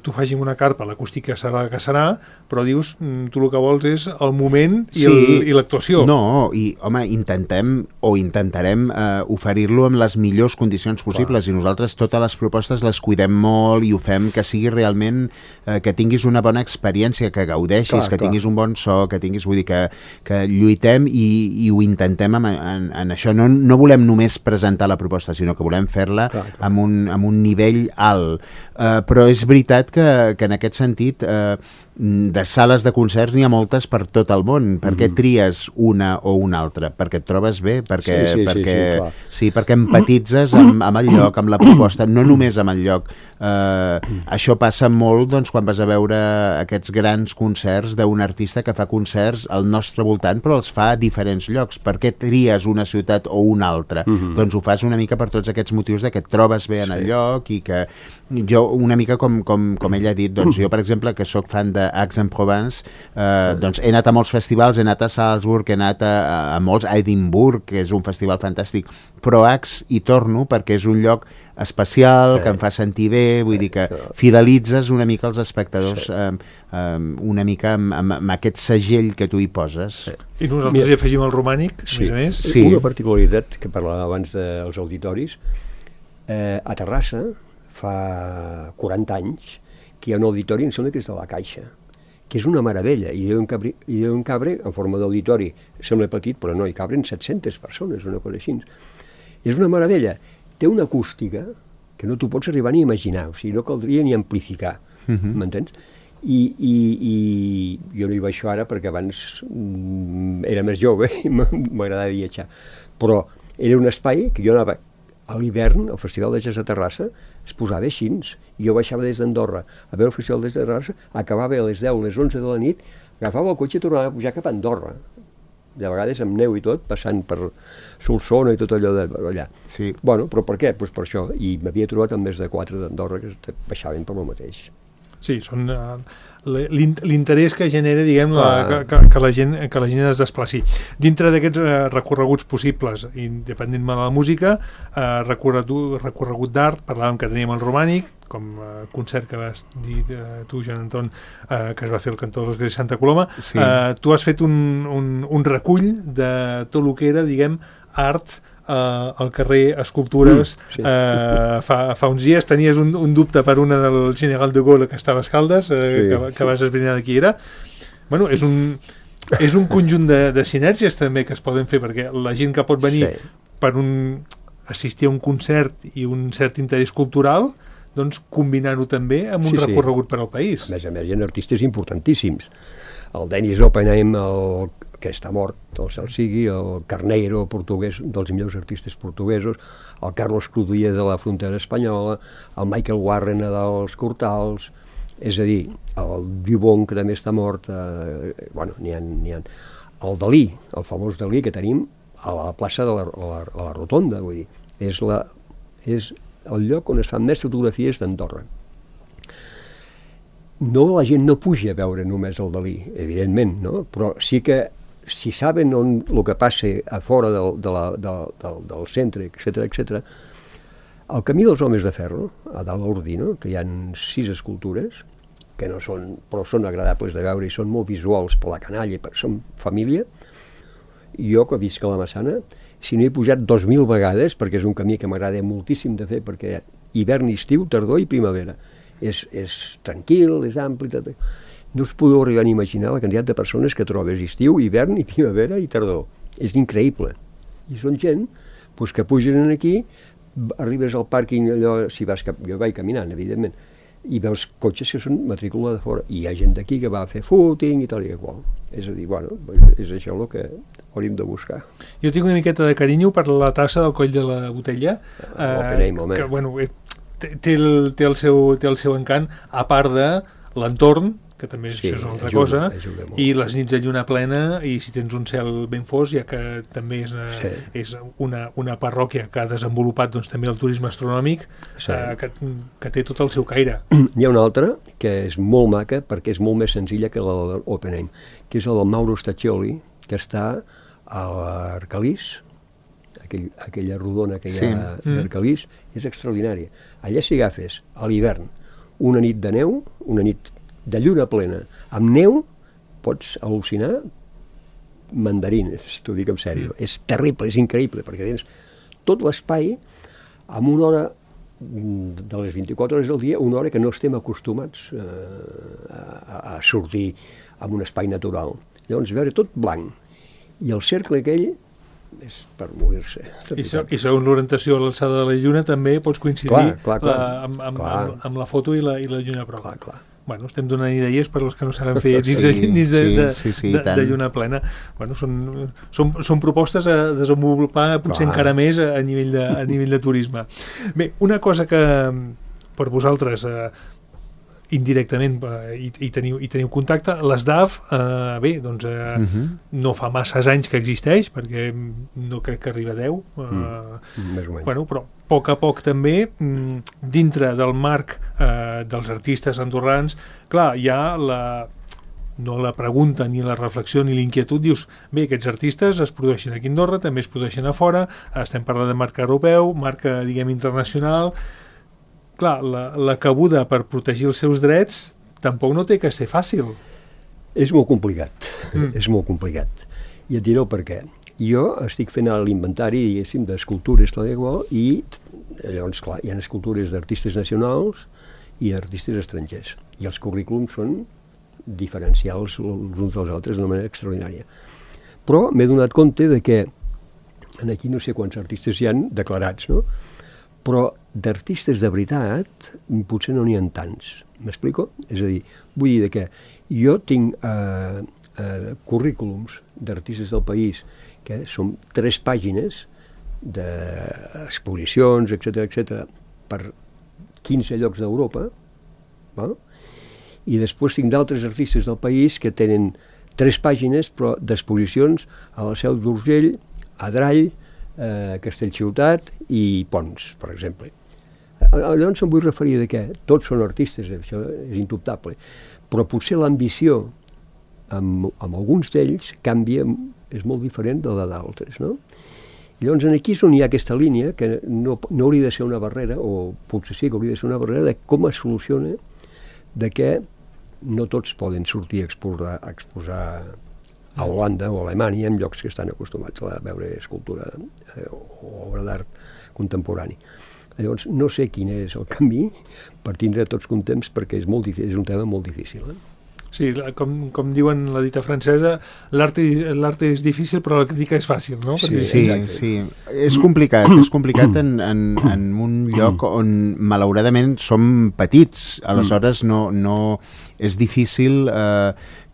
tu facis una carpa, l'acústica serà que serà, però dius, tu el que vols és el moment i l'actuació. No, i home, intentarem oferir-lo amb les millors condicions possibles, i nosaltres totes les propostes les cuidem molt i ho fem que sigui realment, que tinguis una bona experiència, que gaudeixis, que tinguis un bon so, que tinguis, vull dir, que lluitem i ho intentem en això. No volem només presentar la proposta, sinó que volem fer-la amb un nivell alt. Però és veritat que en aquest sentit de sales de concerts n'hi ha moltes per tot el món. Per què tries una o una altra? Perquè et trobes bé, perquè empatitzes amb el lloc, amb la proposta, no només amb el lloc. Això passa molt quan vas a veure aquests grans concerts d'un artista que fa concerts al nostre voltant, però els fa a diferents llocs. Per què tries una ciutat o una altra? Doncs ho fas una mica per tots aquests motius de que et trobes bé en el lloc, i que jo, una mica com ell ha dit, jo, per exemple, que sóc fan de Aix-en-Provence, he anat a molts festivals, he anat a Salzburg, he anat a molts, a Edimburg, que és un festival fantàstic, però Aix hi torno perquè és un lloc especial, que em fa sentir bé, vull dir que fidelitzes una mica els espectadors, una mica amb aquest segell que tu hi poses. I nosaltres hi afegim el romànic, a més a més. Una particularitat que parlàvem abans dels auditoris, a Terrassa, fa 40 anys, que hi ha un auditori, em sembla que és de la Caixa, que és una meravella, i hi ha un cabre en forma d'auditori, sembla petit, però no, hi cabren 700 persones, una cosa així. És una meravella. Té una acústica que no t'ho pots arribar ni a imaginar, o sigui, no caldria ni amplificar, m'entens? I jo no hi baixo ara perquè abans era més jove i m'agradava viatjar, però era un espai que jo anava a l'hivern, al Festival de Jazz de Terrassa es posava així, i jo baixava des d'Andorra a veure el Festival de Jazz de Terrassa, acabava a les 10, les 11 de la nit, agafava el cotxe i tornava a pujar cap a Andorra, de vegades amb neu i tot, passant per Solsona i tot allò d'allà. Sí. Bueno, però per què? Pues per això, i m'havia trobat amb més de 4 d'Andorra que baixaven per lo mateix. Sí, són l'interès que genera, diguem, que la gent es desplaci. Dintre d'aquests recorreguts possibles, independentment de la música, recorregut d'art, parlàvem que teníem el romànic, com concert que vas dir tu, Joan Anton, que es va fer al Cantó de l'Església de Santa Coloma. Sí. Tu has fet un recull de tot el que era, diguem, art al carrer, escultures. Sí. Fa uns dies tenies un dubte per una del General de Gaulle que estava a Escaldes, que vas esbrinar de qui era. Bueno, és un conjunt de sinergies també que es poden fer, perquè la gent que pot venir per assistir a un concert i un cert interès cultural, doncs combinar-ho també amb un recorregut per al país. A més, hi ha artistes importantíssims. El Dennis Oppenheim, que està mort, el cel sigui, el Carneiro, portuguès, dels millors artistes portuguesos, el Carlos Crudía de la frontera espanyola, el Michael Warren dels Cortals, és a dir, el Dubon, que també està mort, bueno, n'hi ha. El Dalí, el famós Dalí que tenim a la plaça de la Rotonda, vull dir, és el lloc on es fan més fotografies d'Andorra. No, la gent no puja a veure només el Dalí, evidentment, no? Però sí que si saben el que passa a fora del centre, etc., el camí dels homes de ferro, a dalt l'Ordino, que hi ha 6 escultures, que no són, però són agradables de veure i són molt visuals per la canalla, són família. Jo, que visc a la Massana, si no he pujat 2.000 vegades, perquè és un camí que m'agrada moltíssim de fer, perquè hivern, estiu, tardor i primavera. És tranquil, és ampli, tot. No us podeu arribar a imaginar la quantitat de persones que trobes estiu, hivern, i primavera i tardor. És increïble. I són gent que pugen aquí, arribes al pàrquing, allò, si vas jo vaig caminant, evidentment, i veus cotxes que són matrícula de fora, i hi ha gent d'aquí que va a fer footing i tal i qual. És a dir, bueno, és això el que hauríem de buscar. Jo tinc una miqueta de carinyo per la tassa del coll de la botella, que, bueno, té el seu encant, a part de l'entorn, que també això és una altra cosa, i les nits de lluna plena, i si tens un cel ben fos, ja que també és una parròquia que ha desenvolupat doncs, també el turisme astronòmic, que té tot el seu caire. Hi ha una altra que és molt maca, perquè és molt més senzilla que la de l'Oppenheim, que és la del Mauro Staccioli, que està a l'Arcalís, aquella rodona que hi ha d'Arcalís, és extraordinària. Allà si agafes a l'hivern una nit de neu, una nit de lluna plena, amb neu, pots al·lucinar mandarines, t'ho dic en sèrio. És terrible, és increïble, perquè tens tot l'espai amb una hora de les 24 hores del dia, una hora que no estem acostumats a sortir en un espai natural. Llavors, veure tot blanc, i el cercle aquell és per morir-se. I segons l'orientació a l'alçada de la lluna també pots coincidir amb la foto i la lluna prova. Clar. Bueno, estem donant idees per als que no saben fer nits de lluna plena. Bueno, són propostes a desenvolupar potser encara més a nivell de turisme. Bé, una cosa que per vosaltres indirectament i teniu contacte, l'ESDAF, bé, doncs no fa masses anys que existeix, perquè no crec que arriba a 10, bueno, però a poc també, dintre del marc dels artistes andorrans, clar, hi ha no la pregunta, ni la reflexió, ni l'inquietud, dius, bé, aquests artistes es produeixen aquí a Andorra, també es produeixen a fora, estem parlant de marc europeu, marc, diguem, internacional. Clar, la cabuda per protegir els seus drets tampoc no té que ser fàcil. És molt complicat, és molt complicat. I et diré el per què. Jo estic fent l'inventari, diguéssim, d'escultures i llavors, clar, hi ha escultures d'artistes nacionals i d'artistes estrangers. I els currículums són diferencials els uns dels altres d'una manera extraordinària. Però m'he donat compte de que aquí no sé quants artistes hi han declarats, no? però d'artistes de veritat potser no n'hi ha tants. M'explico? És a dir, vull dir que jo tinc currículums d'artistes del país que són 3 pàgines d'exposicions, etc., per 15 llocs d'Europa, val? I després tinc d'altres artistes del país que tenen 3 pàgines però d'exposicions a la Seu d'Urgell, a Drall, a Castellciutat i Pons, per exemple. Llavors em vull referir de que tots són artistes, això és indubtable, però potser l'ambició amb alguns d'ells canvia, és molt diferent de la d'altres, no? I llavors aquí és on hi ha aquesta línia que no hauria de ser una barrera, o potser sí que hauria de ser una barrera, de com es soluciona de que no tots poden sortir a exposar a Holanda o a Alemanya en llocs que estan acostumats a veure escultura o obra d'art contemporani. Llavors, no sé quin és el camí per tindre tots contents perquè és un tema molt difícil. Sí, com diuen la dita francesa, l'art és difícil però la crítica és fàcil, no? Sí. És complicat en un lloc on malauradament som petits, aleshores no és difícil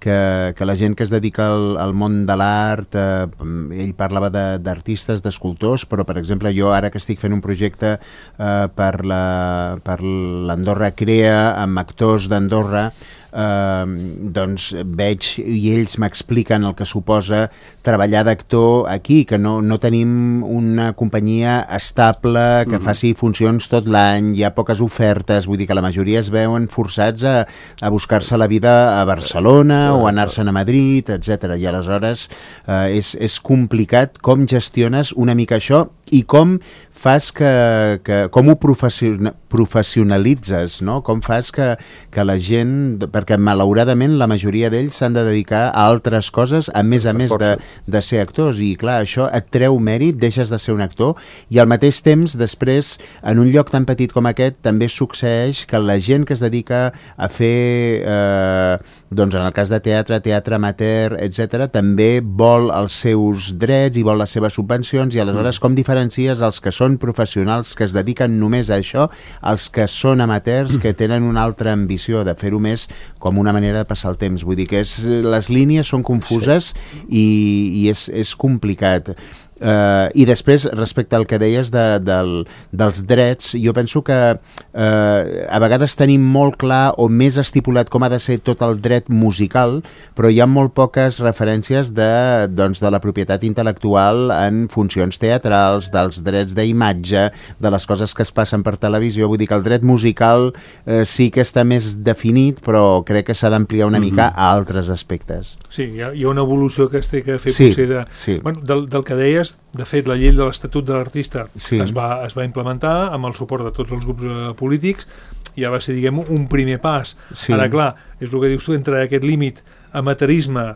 que la gent que es dedica al món de l'art, ell parlava d'artistes, d'escultors, però per exemple jo ara que estic fent un projecte per l'Andorra Crea amb actors d'Andorra, doncs veig i ells m'expliquen el que suposa treballar d'actor aquí, que no tenim una companyia estable que faci funcions tot l'any, hi ha poques ofertes, vull dir que la majoria es veuen forçats a buscar-se la vida a Barcelona o anar-se'n a Madrid, etc. I aleshores és complicat com gestiones una mica això i com fas com ho professionalitzes, no? Com fas que la gent, perquè malauradament la majoria d'ells s'han de dedicar a altres coses a més de ser actors, i clar, això et treu mèrit, deixes de ser un actor, i al mateix temps després en un lloc tan petit com aquest també succeeix que la gent que es dedica a fer doncs en el cas de teatre amateur, etc., també vol els seus drets i vol les seves subvencions, i aleshores com diferencies els que són professionals que es dediquen només a això, els que són amateurs que tenen una altra ambició de fer-ho més com una manera de passar el temps? Vull dir que les línies són confuses i és complicat. I després, respecte al que deies dels drets, jo penso que a vegades tenim molt clar o més estipulat com ha de ser tot el dret musical, però hi ha molt poques referències de la propietat intel·lectual en funcions teatrals, dels drets d'imatge, de les coses que es passen per televisió. Vull dir que el dret musical sí que està més definit, però crec que s'ha d'ampliar una mica a altres aspectes. Sí, hi ha una evolució que es té que fer potser bueno, del que deies. De fet, la llei de l'Estatut de l'Artista es va implementar amb el suport de tots els grups polítics, i ja va ser, diguem, un primer pas. Ara, clar, és el que dius tu, entre aquest límit amateurisme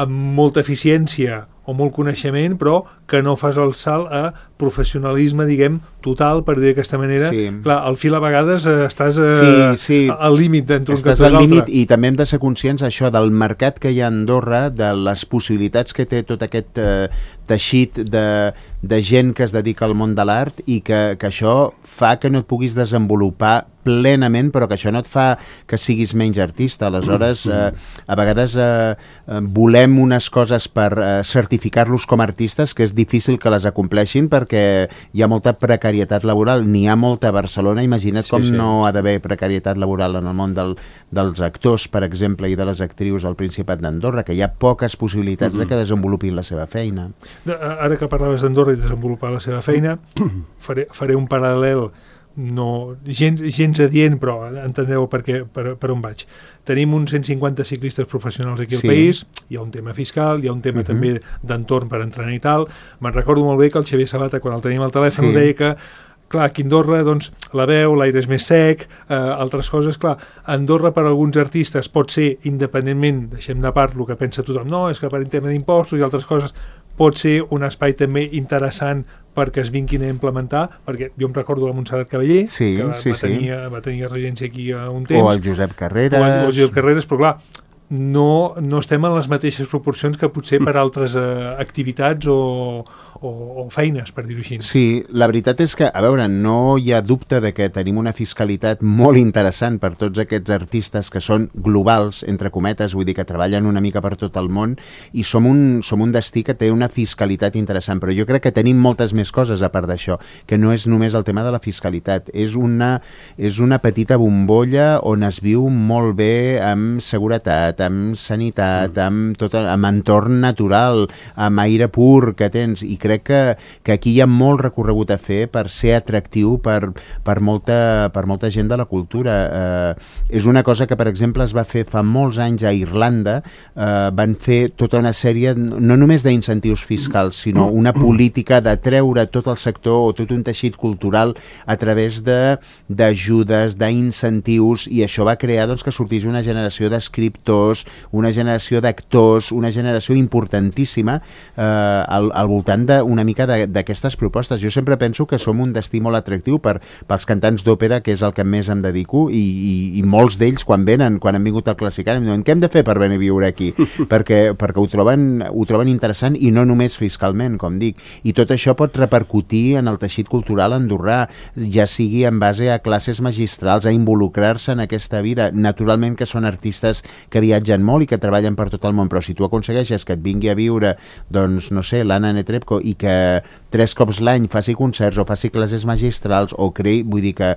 amb molta eficiència o molt coneixement, però que no fas el salt a professionalisme, diguem, total, per dir d'aquesta manera. Clar, al fil a vegades estàs al límit d'entre un cap i l'altre. I també hem de ser conscients això del mercat que hi ha a Andorra, de les possibilitats que té tot aquest teixit de gent que es dedica al món de l'art, i que això fa que no et puguis desenvolupar plenament, però que això no et fa que siguis menys artista. Aleshores, a vegades volem unes coses per certificar-los com a artistes que és difícil que les acompleixin perquè hi ha molta precarietat laboral. N'hi ha molta a Barcelona, imagina't com no ha d'haver precarietat laboral en el món dels actors, per exemple, i de les actrius al Principat d'Andorra, que hi ha poques possibilitats de que desenvolupin la seva feina. Ara que parlaves d'Andorra i desenvolupar la seva feina, faré un paral·lel gens adient, però entendeu per on vaig. Tenim uns 150 ciclistes professionals aquí al país, hi ha un tema fiscal, hi ha un tema també d'entorn per entrenar i tal. Me'n recordo molt bé que el Xavier Sabata, quan el tenim al telèfon, deia que clar, aquí a Andorra, doncs, la veu, l'aire és més sec, altres coses, clar, Andorra per alguns artistes pot ser, independentment, deixem de part el que pensa tothom, no, és que per un tema d'impostos i altres coses, pot ser un espai també interessant perquè es vinguin a implementar, perquè jo em recordo la Montserrat Cavallé, que va tenir regència aquí un temps. O el Josep Carreres. Però clar, no estem en les mateixes proporcions que potser per altres activitats o feines, per dir-ho així. Sí, la veritat és que, a veure, no hi ha dubte de que tenim una fiscalitat molt interessant per tots aquests artistes que són globals, entre cometes, vull dir que treballen una mica per tot el món, i som un destí que té una fiscalitat interessant, però jo crec que tenim moltes més coses a part d'això, que no és només el tema de la fiscalitat, és una petita bombolla on es viu molt bé amb seguretat, amb sanitat, amb entorn natural, amb aire pur que tens, i crec que aquí hi ha molt recorregut a fer per ser atractiu per molta gent de la cultura. És una cosa que, per exemple, es va fer fa molts anys a Irlanda, van fer tota una sèrie, no només d'incentius fiscals, sinó una política de treure tot el sector o tot un teixit cultural a través d'ajudes, d'incentius, i això va crear que sortís una generació d'escriptors, una generació d'actors, una generació importantíssima al voltant una mica d'aquestes propostes. Jo sempre penso que som un destí molt atractiu pels cantants d'òpera, que és el que més em dedico, i molts d'ells quan han vingut al Classical em diuen, què hem de fer per venir a viure aquí? perquè ho troben interessant, i no només fiscalment, com dic. I tot això pot repercutir en el teixit cultural andorrà, ja sigui en base a classes magistrals, a involucrar-se en aquesta vida. Naturalment que són artistes que viatgen molt i que treballen per tot el món, però si tu aconsegueixes que et vingui a viure, doncs, no sé, l'Anna Netrebko, i que 3 cops l'any faci concerts o faci classes magistrals o vull dir que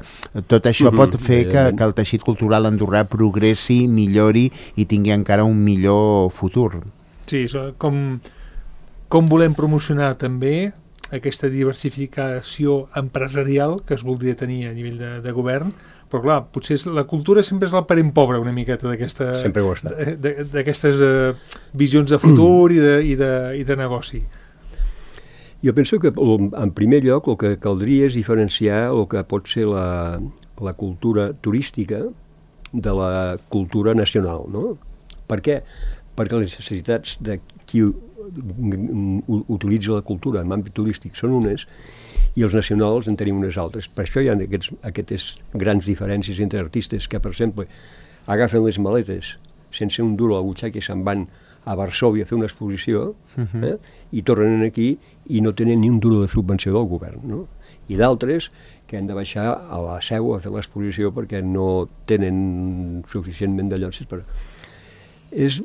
tot això pot fer que el teixit cultural andorrà progressi, millori i tingui encara un millor futur. Sí, com volem promocionar també aquesta diversificació empresarial que es voldria tenir a nivell de govern, però clar, potser la cultura sempre és el parent pobre una miqueta d'aquestes visions de futur i de negoci. Jo penso que, en primer lloc, el que caldria és diferenciar el que pot ser la cultura turística de la cultura nacional, no? Per què? Perquè les necessitats de qui utilitza la cultura en àmbit turístic són unes i els nacionals en tenim unes altres. Per això hi ha aquestes grans diferències entre artistes que, per exemple, agafen les maletes sense un duro a la butxaca i se'n van a Varsòvia a fer una exposició i tornen aquí i no tenen ni un duro de subvenció del govern, no? I d'altres que han de baixar a la Seu a fer l'exposició perquè no tenen suficientment de llocs. És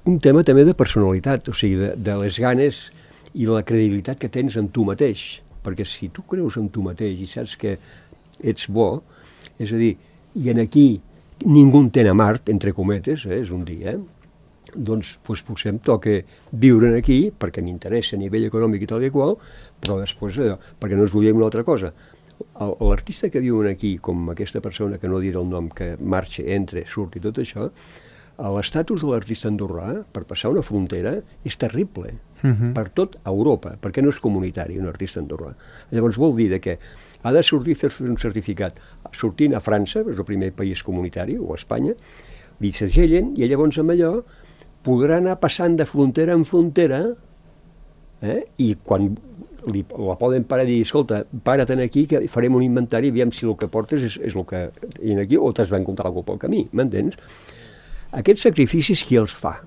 un tema també de personalitat, o sigui, de les ganes i la credibilitat que tens en tu mateix, perquè si tu creus en tu mateix i saps que ets bo, és a dir, i en aquí ningú entén a Mart, entre cometes, és un dia, doncs potser em toca viure aquí perquè m'interessa a nivell econòmic i tal i qual, però després perquè no es volia una altra cosa. L'artista que viu aquí, com aquesta persona que no diré el nom, que marxa, entra, surt i tot això, l'estatus de l'artista andorrà per passar una frontera és terrible per tot Europa, perquè no és comunitari un artista andorrà. Llavors vol dir que ha de sortir a fer un certificat sortint a França, és el primer país comunitari, o a Espanya, li segellen i llavors amb allò podrà anar passant de frontera en frontera i quan la poden parar i dir, escolta, para't aquí que farem un inventari i aviam si el que portes és el que hi ha aquí o t'has d'encontrar alguna cosa pel camí, m'entens? Aquests sacrificis qui els fa?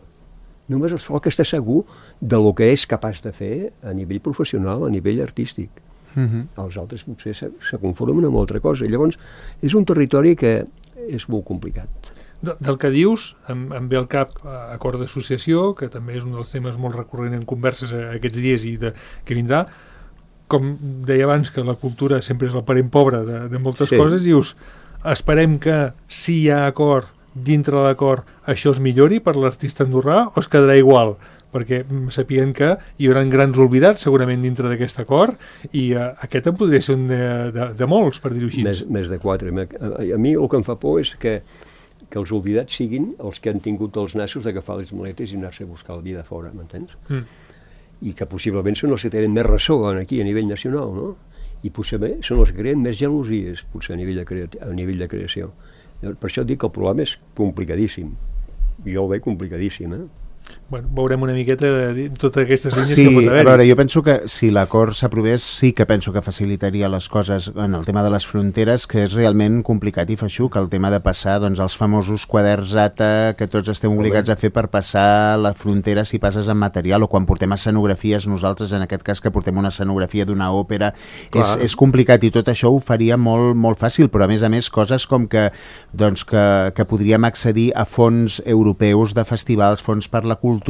Només els fa el que està segur del que és capaç de fer a nivell professional, a nivell artístic. Els altres potser se conformen amb altra cosa. Llavors, és un territori que és molt complicat. Del que dius, em ve al cap acord d'associació, que també és un dels temes molt recurrent en converses aquests dies i que vindrà. Com deia abans, que la cultura sempre és el parent pobre de moltes coses, dius, esperem que si hi ha acord, dintre de l'acord, això es millori per l'artista andorrà o es quedarà igual? Perquè sapien que hi haurà grans oblidats segurament dintre d'aquest acord i aquest en podria ser un de molts, per dir-ho així. Més de 4. A mi el que em fa por és que els oblidats siguin els que han tingut els nassos d'agafar les maletes i anar-se a buscar la vida fora, m'entens? I que possiblement són els que tenen més ressò aquí a nivell nacional, no? I potser són els que creen més gelosies, potser a nivell de creació. Per això dic que el problema és complicadíssim. Jo el veig complicadíssim, bueno, veurem una miqueta de totes aquestes línies Sí, que pot haver-hi. a veure, jo penso que si l'acord s'aprovés sí que penso que facilitaria les coses en el tema de les fronteres, que és realment complicat i feixuc, el tema de passar doncs, els famosos quaderns ATA que tots estem obligats a fer per passar la frontera si passes amb material, o quan portem escenografies nosaltres, en aquest cas que portem una escenografia d'una òpera, és complicat, i tot això ho faria molt, molt fàcil, però a més coses com que, doncs, que podríem accedir a fons europeus de festivals, fons per la cultura,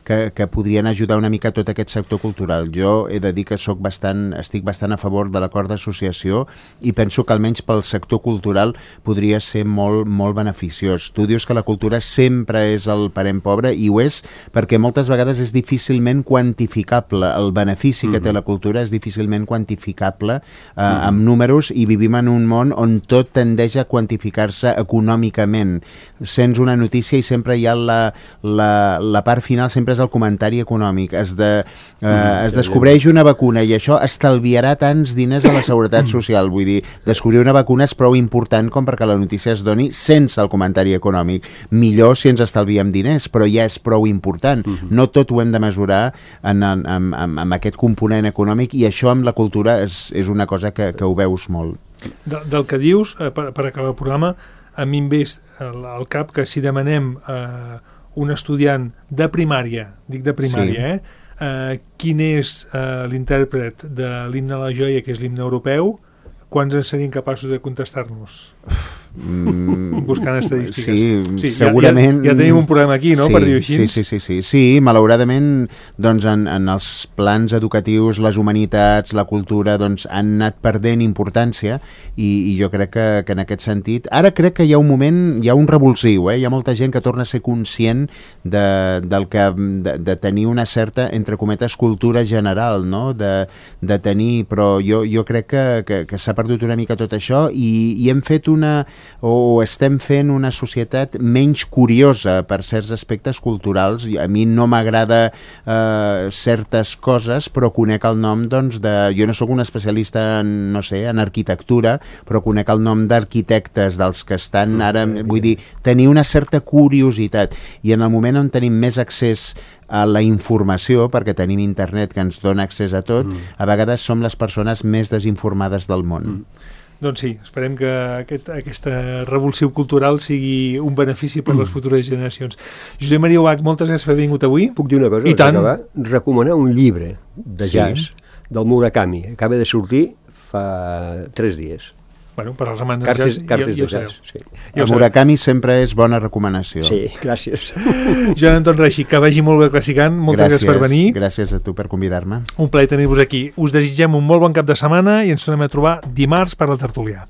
que podrien ajudar una mica a tot aquest sector cultural. Jo he de dir que estic bastant a favor de l'acord d'associació i penso que almenys pel sector cultural podria ser molt, molt beneficiós. Tu dius que la cultura sempre és el parent pobre, i ho és perquè moltes vegades és difícilment quantificable. El benefici que té la cultura és difícilment quantificable amb números, i vivim en un món on tot tendeix a quantificar-se econòmicament. Sents una notícia i sempre hi ha la part final, sempre és el comentari econòmic. Es descobreix una vacuna i això estalviarà tants diners a la seguretat social. Vull dir, descobrir una vacuna és prou important com perquè la notícia es doni sense el comentari econòmic. Millor si ens estalviem diners, però ja és prou important. No tot ho hem de mesurar amb aquest component econòmic, i això amb la cultura és una cosa que ho veus molt. Del que dius, per acabar el programa, a mi em ve al cap que si demanem un estudiant de primària, dic de primària, quin és l'intèrpret de l'himne a la joia, que és l'himne europeu, quants en serien capaços de contestar-nos? Buscant estadístiques. Sí, segurament... Ja tenim un problema aquí, no?, per dir-ho així. Sí, malauradament, doncs, en els plans educatius, les humanitats, la cultura, doncs, han anat perdent importància, i jo crec que en aquest sentit... Ara crec que hi ha un moment, hi ha un revulsiu, hi ha molta gent que torna a ser conscient de tenir una certa, entre cometes, cultura general, no?, de tenir... Però jo crec que s'ha perdut una mica tot això, i hem fet o estem fent una societat menys curiosa per certs aspectes culturals. A mi no m'agrada certes coses, però conec el nom, doncs, jo no sóc un especialista en arquitectura, però conec el nom d'arquitectes dels que estan ara, vull dir, tenir una certa curiositat, i en el moment on tenim més accés a la informació, perquè tenim internet que ens dona accés a tot, a vegades som les persones més desinformades del món. Doncs sí, esperem que aquesta revulsió cultural sigui un benefici per les futures generacions. Josep Maria Ubach, moltes gràcies per haver vingut avui. Puc dir una cosa? I tant. Recomanar un llibre de jazz del Murakami. Acaba de sortir fa 3 dies. Bueno, per als amants de jazz, Cartes de jazz, sí. El Murakami sempre és bona recomanació. Sí, gràcies. Joan Anton Reixi, que vagi molt bé classicant, moltes gràcies per venir. Gràcies a tu per convidar-me. Un plaer tenir-vos aquí. Us desitgem un molt bon cap de setmana i ens tornem a trobar dimarts per la tertúlia.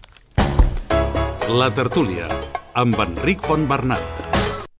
La tertúlia, amb Enric Fontbernat.